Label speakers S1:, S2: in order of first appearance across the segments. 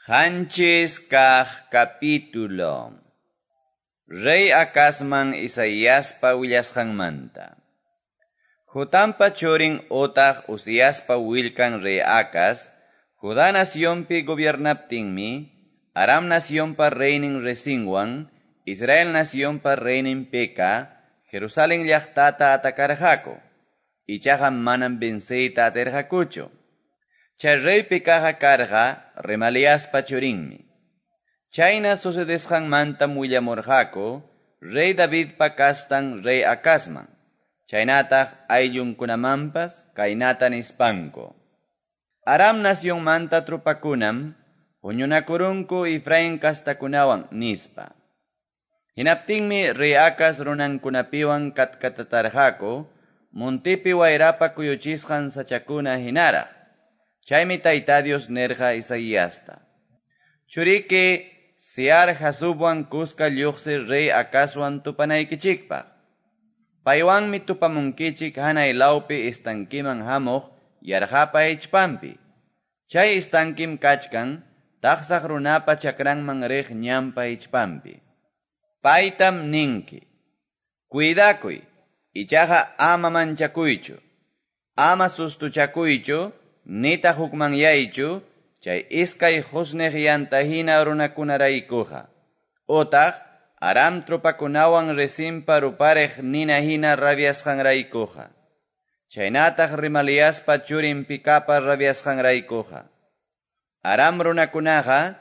S1: 7 kaq capítulo. Rey Acazman Isaiaspa willasqanmanta. Jotampa churin otaq Uziaspa willkan rey Acaz, Judá nacionpi gobiernaptinmi, Aram nacionpa reynin Rezinwan, Israel nacionpa reynin Peka, Jerusalén llaqtata atakarqaku. Ichaqa manam venceyta atirqakuchu. Chay rey Pekaqa karqa Remaliaspa churinmi. Chayna sucedesqanmantam willamurqaku rey Davidpa kastan rey Acazman. Chaynataq ayllunkunamanpas kaynata nispanku. Aram nacionmanta tropakunam huñunakurunku Efraín kastakunawan nispa. Hinaptinmi rey Acaz runankunapiwan katkatatarqaku montepi wayrapa kuyuchisqan sachakuna hinaraq. Chaymi Tayta Dios nirqa Isaiasta. Churiki Sear Jasubwan kuska lluqsi rey Acazwan tupanaykichikpaq. Paywanmi tupamunkichik hanay lawpi estankiman hamuq yarqapa hichpanpi. Chay estankim kachkan taqsaq runapa chakranman riq ñanpa hichpanpi. Paytam ninki: Cuidakuy, ichaqa ama manchakuychu, ama sustuchakuychu, nitaq hukmanyaychu, chay iskay qusniq yanta hina runakunaraykuqa. Otaq Aram tropakunawan Rezinpa rupariq nina hina rabiasqanraykuqa. Chaynataq Remaliaspa churin Pekapa rabiasqanraykuqa. Aram runakunaqa,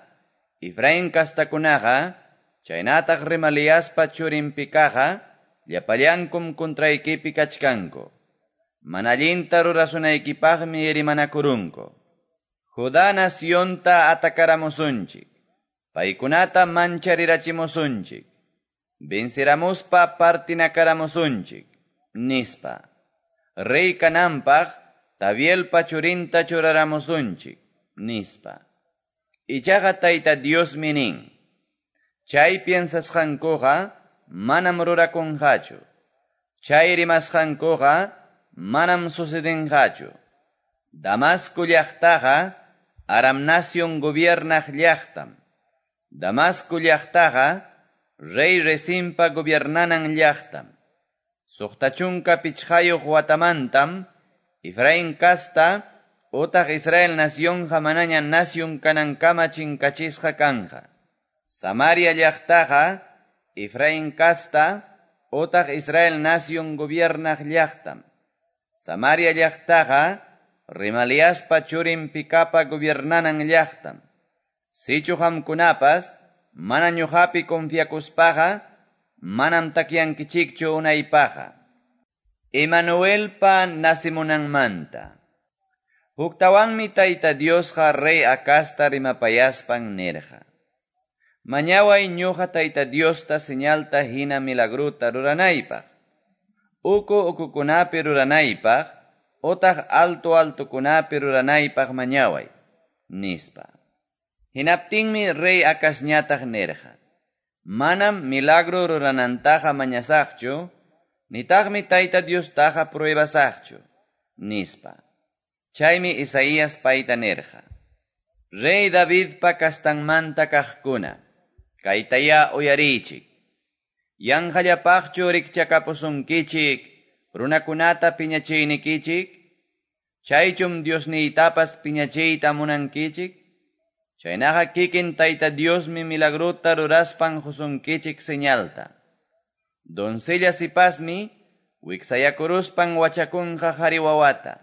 S1: Efraín kastakunaqa, chaynataq Remaliaspa churin Pekaqa, llapallankum contraykipi kachkanku. Mana allinta rurasunaykipaqmi rimanakurunku. Judá nacionta atakaramusunchik. Paykunata mancharirachimusunchik. Venceramuspa partinakaramusunchik, nispa. Rey kananpaq Tabielpa churinta churaramusunchik, nispa. Ichaqa Tayta Diosmi nin: Chay piensasqankuqa manam rurakunqachu. Chay rimasqankuqa manam sucedinqachu. Damasco llaqtaqa Aram nación gobiernaq llaqtam. Damasco llaqtaqa rey Rezinpa gobiernanan llaqtam. 65 watamantam Efraín kasta otaq Israel nacionqa manaña nación kanankama chinkachisqa kanqa. Samaria llaqtaqa Efraín kasta otaq Israel nación gobiernaq llaqtam. Samaria llaqtaqa Remaliaspa churin Pekapa gobiernanan llaqtam. Sichu qamkunapas mana ñuqapi confiakuspaqa manam takyankichikchu unaypaqa. Emanuelpa nacimunanmanta. Huktawanmi Tayta Diosqa rey Acazta rimapayaspan nirqa: Mañaway ñuqa Tayta Diosta señalta hina milagrota ruranaypaq. Uku ukukunapi ruranaypaq, otaq alto altokunapi ruranaypaq mañaway, nispa. Hinaptinmi rey Acazñataq nirqa: Manam milagro ruranantaqa mañasaqchu, nitaqmi Tayta Diostaqa pruebasaqchu, nispa. Chaymi Isaías payta nirqa: Rey Davidpa kastanmanta kaqkuna, kaytayá uyariychik. Yanqallapaqchu rikchakapusunkichik, runakunata piñachiynikichik? Chaychum Diosniytapas piñachiyta munankichik? Chaynaqa kikin Tayta Diosmi milagrota ruraspan qusunkichik señalta. Doncella sipasmi wiksayakuruspan wachakunqa qari wawata.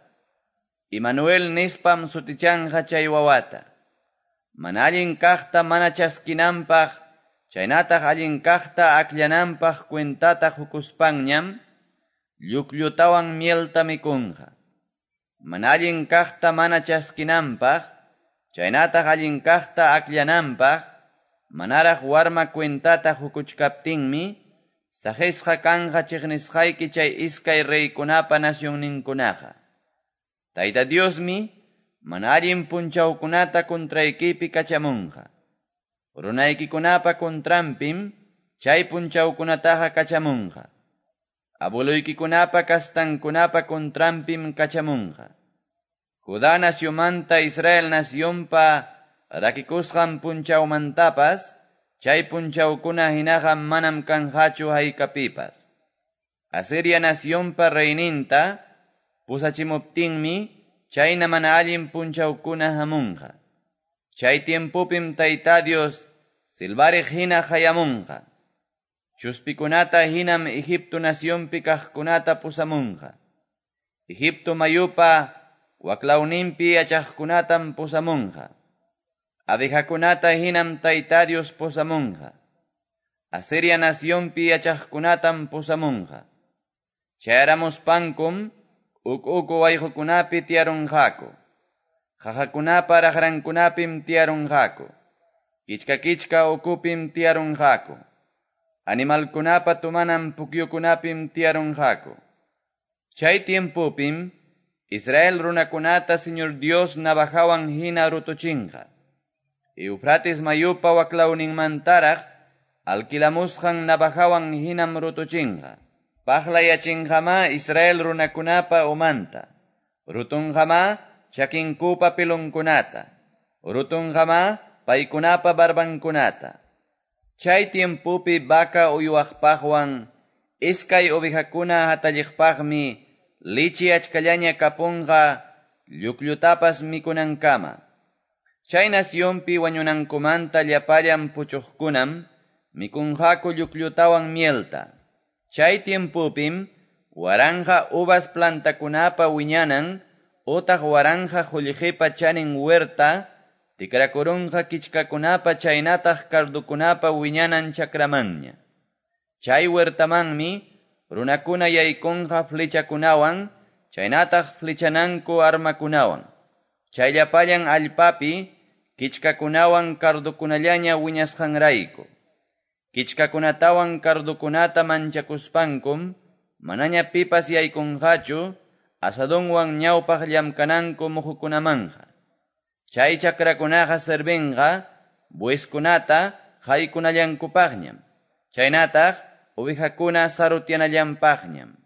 S1: Emanuel nispam sutichanqa chay wawata. Mana allin kaqta mana chaskinanpaq, chaynataq allin kaqta akllananpaq cuentata qukuspanñam, lluklutawan mielta mikunqa. Mana allin kaqta mana chaskinanpaq, chaynataq allin kaqta akllananpaq, manaraq warma cuentata qukuchkaptinmi, saqisqa kanqa chiqnisqayki chay iskay reykunapa nacionninkunaqa. Tayta Diosmi mana allin punchawkunata contraykipi kachamunqa. Runaykikunapa contranpim chay punchawkunataqa kachamunqa. Abueloykikunapa kastankunapa contranpim kachamunqa. Judá nacionmanta Israel nacionpa rakikusqan punchawmantapas, chay punchawkuna hinaqa manam kanqachu haykapipas. Asiria nacionpa reyninta pusachimuptinmi chayna mana allin punchawkuna hamunqa. Chay tiempopim Tayta Dios silbariq hina hayamunqa. Chuspikunata hinam Egipto nacionpi kaqkunata pusamunqa. Egipto mayupa waklawninpi yachaqkunatam pusamunqa. Abejakunata hinam Tayta Dios pusamunqa. Asiria nacionpi yachaqkunatam pusamunqa. Chayaramuspankum uk uku wayqukunapi tiyarunqaku. Qaqakunapa raqrankunapim tiyarunqaku. Kichka kichka ukupim tiyarunqaku. Animalkunapa tumanan pukyukunapim tiyarunqaku. Chay tiempopim Israel runakunata Señor Dios navajawan hina rutuchinqa. Eufrates mayupa waklawninmantaraq alquilamusqan navajawan hinam rutuchinqa. Paqlayachinqama Israel runakunapa umanta. Rutunqama chakinkupa pilunkunata. Rutunqama paykunapa barbankunata. Chay tiempopi vaca uywaqpaqwan iskay ovejakuna hatalliqpaqmi lichi achkallaña kapunqa llukllutapas mikunankama. Chay nacionpi wañunankumanta llapallan puchuqkunam mikunqaku llukllutawan mielta. Chay tiempopim waranja uvas plantakunapa wiñanan utaq waranja qullqipa chanin huerta tikrakurunqa kichkakunapa chaynataq cardukunapa wiñanan chakramanña. Chay huertamanmi runakuna yaykunqa flechakunawan chaynataq flechananku armakunawan. Chay llapallan allpapi kichkakunawan cardukunallaña wiñasqanrayku. Kichkakunatawan cardukunata manchakuspankum manaña pipas yaykunqachu asadonwan ñawpaq llamkananku muhukunamanja. Chay chakrakunaqa servinqa bueskunata haykunallankupaqñam. Chaynataq ovejakuna sarutyanallanpaqñam.